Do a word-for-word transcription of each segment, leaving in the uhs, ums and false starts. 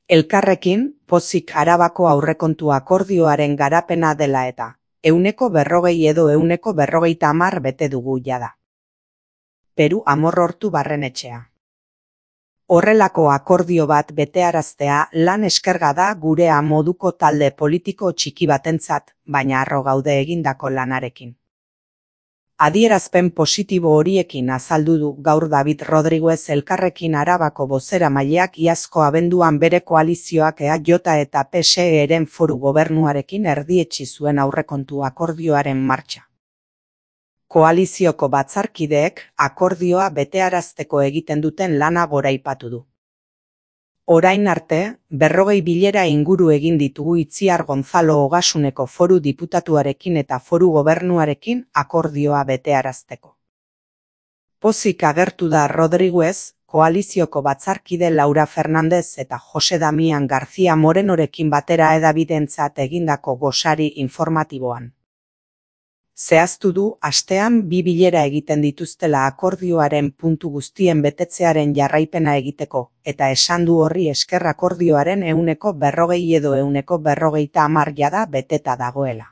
Elkarrekin, pozik Arabako aurrekontu akordioaren garapena dela eta, ehuneko berrogei edo ehuneko berrogeita hamar bete dugu jada. Peru Amorortu Barrenetxea. Horrelako akordio bat betearaztea lan eskerga da gurea moduko talde politiko txiki batentzat, baina harro gaude egindako lanarekin. Adierazpen positibo horiekin azaldu du gaur David Rodriguez Elkarrekin Arabako bozeramaileak iazko abenduan bere koalizioak E A J eta P S E-ren foru gobernuarekin erdietsi zuen aurrekontu akordioaren martxa. Koalizioko batzarkideek akordioa betearazteko egiten duten lana goraipatu du. Orain arte, berrogei bilera inguru egin ditugu Itziar Gonzalo Ogasuneko foru diputatuarekin eta foru gobernuarekin akordioa betearazteko. Pozik agertu da Rodriguez, koalizioko batzarkide Laura Fernandez eta Jose Damian García Morenorekin batera hedabidentzat egindako gosari informatiboan. Zehaztu du astean bi bilera egiten dituztela akordioaren puntu guztien betetzearen jarraipena egiteko, eta esan du horri esker akordioaren ehuneko berrogei edo ehuneko berrogeita hamar jada beteta dagoela.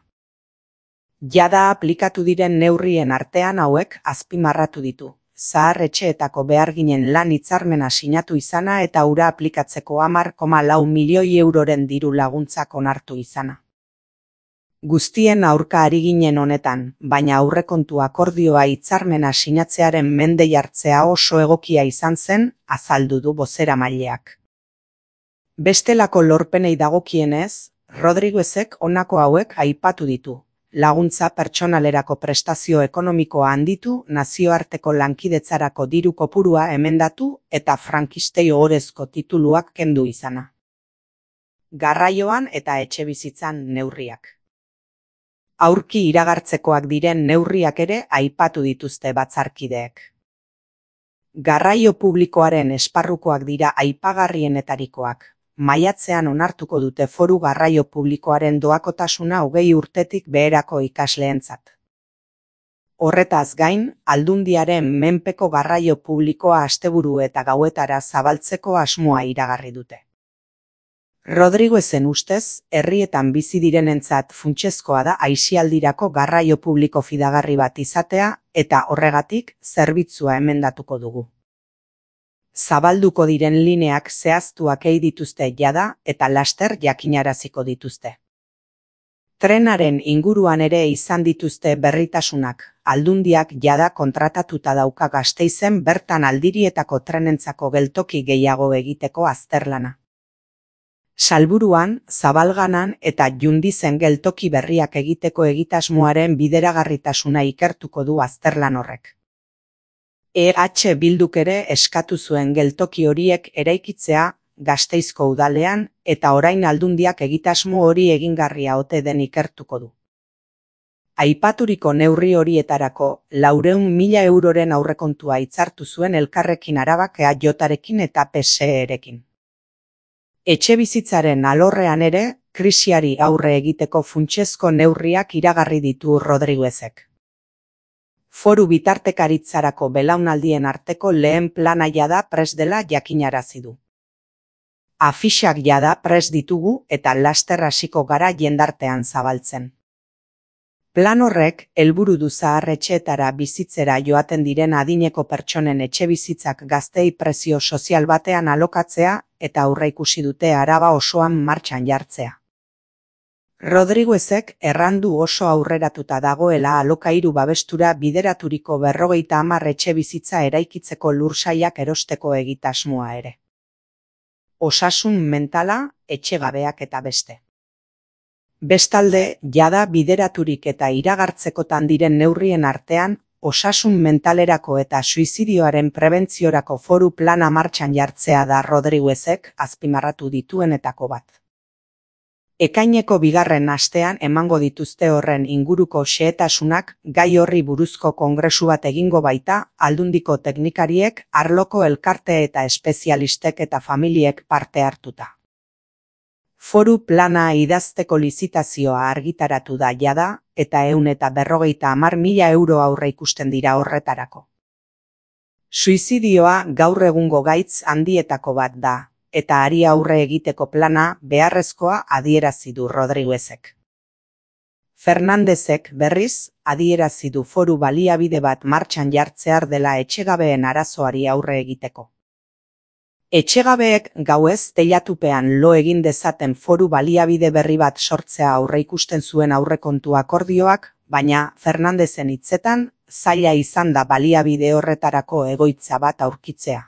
Jada aplikatu diren neurrien artean hauek azpimarratu ditu, zahar-etxeetako beharginen lan hitzarmena sinatu izana eta hura aplikatzeko hamar koma lau milioi euroren diru laguntzak onartu izana. Guztien aurka ari ginen honetan, baina aurrekontu akordioa hitzarmena sinatzearen mende jartzea oso egokia izan zen, azaldu du bozeramaileak. Bestelako lorpenei dagokienez, Rodriguezek honako hauek aipatu ditu. Laguntza pertsonalerako prestazio ekonomikoa handitu, nazioarteko lankidetzarako diru kopurua emendatu eta frankistei ohorezko tituluak kendu izana. Garraioan eta etxebizitzan neurriak. Aurki iragartzekoak diren neurriak ere aipatu dituzte batzarkideek. Garraio publikoaren esparrukoak dira aipagarrienetarikoak. Maiatzean onartuko dute foru garraio publikoaren doakotasuna hogei urtetik beherako ikasleentzat. Horretaz gain, aldundiaren menpeko garraio publikoa asteburu eta gauetara zabaltzeko asmoa iragarri dute. Rodriguezen ustez, herrietan bizi direnentzat funtsezkoa da aisialdirako garraio publiko fidagarri bat izatea eta horregatik zerbitzua emendatuko dugu. Zabalduko diren lineak zehaztuak ei dituzte jada eta laster jakinaraziko dituzte. Trenaren inguruan ere izan dituzte berritasunak, aldundiak jada kontratatuta dauka Gasteizen bertan aldirietako trenentzako geltoki gehiago egiteko azterlana. Salburuan, Zabalganan eta Jundizen geltoki berriak egiteko egitasmoaren bideragarritasuna ikertuko du azterlan horrek. E H Bilduk ere eskatu zuen geltoki horiek eraikitzea Gasteizko udalean eta orain aldundiak egitasmo hori egingarria ote den ikertuko du. Aipaturiko neurri horietarako laurehun mila euroren aurrekontua hitzartu zuen Elkarrekin Arabak E A Jarekin eta P S E-rekin. Etxebizitzaren alorrean ere, krisiari aurre egiteko funtsezko neurriak iragarri ditu Rodriguezek. Foru bitartekaritzarako belaunaldien arteko lehen plana jada prest dela jakinarazi du. Afixak jada prest ditugu eta laster hasiko gara jendartean zabaltzen. Plan horrek helburu du zahar-etxeetara bizitzera joaten diren adineko pertsonen etxebizitzak gazteei prezio sozial batean alokatzea eta aurreikusi dute Araba osoan martxan jartzea. Rodriguezek errandu oso aurreratuta dagoela alokairu babestura bideraturiko berrogeita hamar etxebizitza eraikitzeko lursailak erosteko egitasmoa ere. Osasun mentala, etxegabeak eta beste. Bestalde, jada bideraturik eta iragartzekotan diren neurrien artean, osasun mentalerako eta suizidioaren prebentziorako foru plana martxan jartzea da Rodriguezek azpimarratu dituenetako bat. Ekaineko bigarren astean emango dituzte horren inguruko xehetasunak gai horri buruzko kongresu bat egingo baita, aldundiko teknikariek, arloko elkarte eta espezialistek eta familiek parte hartuta. Foru plana idazteko lizitazioa argitaratu da jada eta ehun eta berrogeita hamar mila euro aurre ikusten dira horretarako. Suizidioa gaur egungo gaitz handietako bat da, eta hari aurre egiteko plana beharrezkoa adierazi du Rodriguezek. Fernandezek, berriz, adierazi du foru baliabide bat martxan jartzear dela etxegabeen arazoari aurre egiteko. Etxegabeek gauez teilatupean lo egin dezaten foru baliabide berri bat sortzea aurreikusten zuen aurrekontu akordioak, baina Fernandezen hitzetan, zaila izan da baliabide horretarako egoitza bat aurkitzea.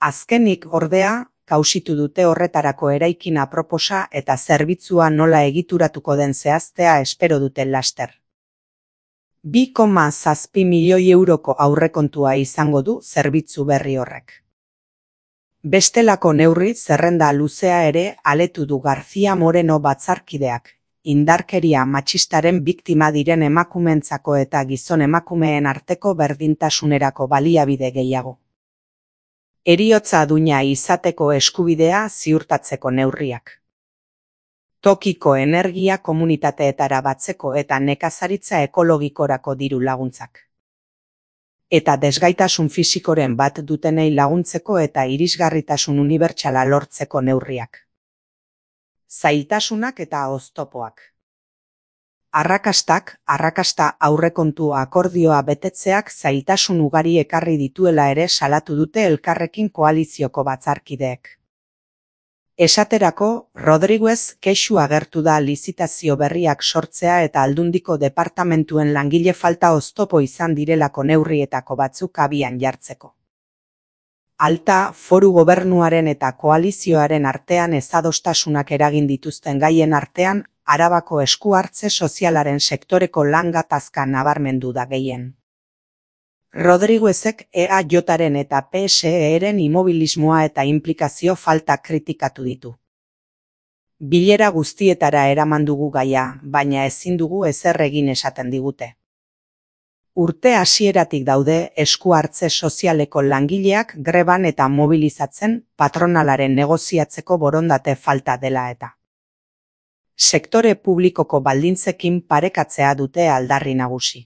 Azkenik, ordea, kausitu dute horretarako eraikin aproposa eta zerbitzua nola egituratuko den zehaztea espero dute laster. bi koma zazpi milioi euroko aurrekontua izango du zerbitzu berri horrek. Bestelako neurri zerrenda luzea ere aletu du García Moreno batzarkideak, indarkeria matxistaren biktima diren emakumeentzako eta gizon emakumeen arteko berdintasunerako baliabide gehiago. Heriotza duina izateko eskubidea ziurtatzeko neurriak. Tokiko energia komunitateetara batzeko eta nekazaritza ekologikorako diru laguntzak. Eta desgaitasun fisikoren bat dutenei laguntzeko eta irisgarritasun unibertsala lortzeko neurriak. Zailtasunak eta oztopoak. Arrakastak, arrakasta aurrekontu akordioa betetzeak zailtasun ugari ekarri dituela ere salatu dute Elkarrekin koalizioko batzarkideek. Esaterako, Rodriguez kexu agertu da lizitazio berriak sortzea eta Aldundiko departamentuen langile falta oztopo izan direlako neurrietako batzuk abian jartzeko. Alta, foru gobernuaren eta koalizioaren artean ezadostasunak eragin dituzten gaien artean, Arabako esku hartze sozialaren sektoreko lan gatazka nabarmendu da gehien. Rodriguezek E A Jaren eta P S E-ren immobilismoa eta inplikazio falta kritikatu ditu. Bilera guztietara eraman dugu gaia, baina ezin dugu ezer egin esaten digute. Urte hasieratik daude esku hartze sozialeko langileak greban eta mobilizatzen patronalaren negoziatzeko borondate falta dela eta. Sektore publikoko baldintzekin parekatzea dute aldarri nagusi.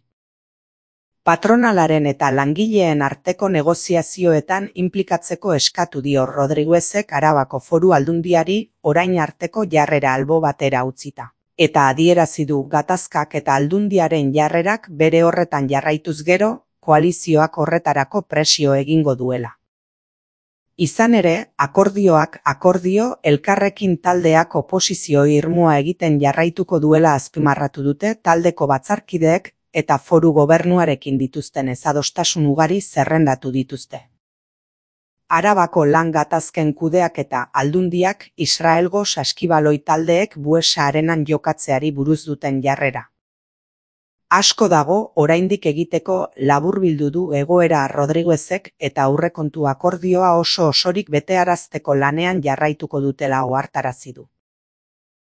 Patronalaren eta langileen arteko negoziazioetan inplikatzeko eskatu dio Rodriguezek Arabako Foru Aldundiari orain arteko jarrera albo batera utzita. Eta adierazi du gatazkak eta Aldundiaren jarrerak bere horretan jarraituz gero, koalizioak horretarako presio egingo duela. Izan ere, akordioak akordio Elkarrekin taldeak oposizio irmoa egiten jarraituko duela azpimarratu dute taldeko batzarkideek eta foru gobernuarekin dituzten ezadostasun ugari zerrendatu dituzte. Arabako lan gatazken kudeak eta Aldundiak Israelgo saskibaloi taldeek Buesa arenan jokatzeari buruz duten jarrera. Asko dago oraindik egiteko laburbildu du egoera Rodriguezek eta aurrekontu akordioa oso osorik betearazteko lanean jarraituko dutela ohartarazi du.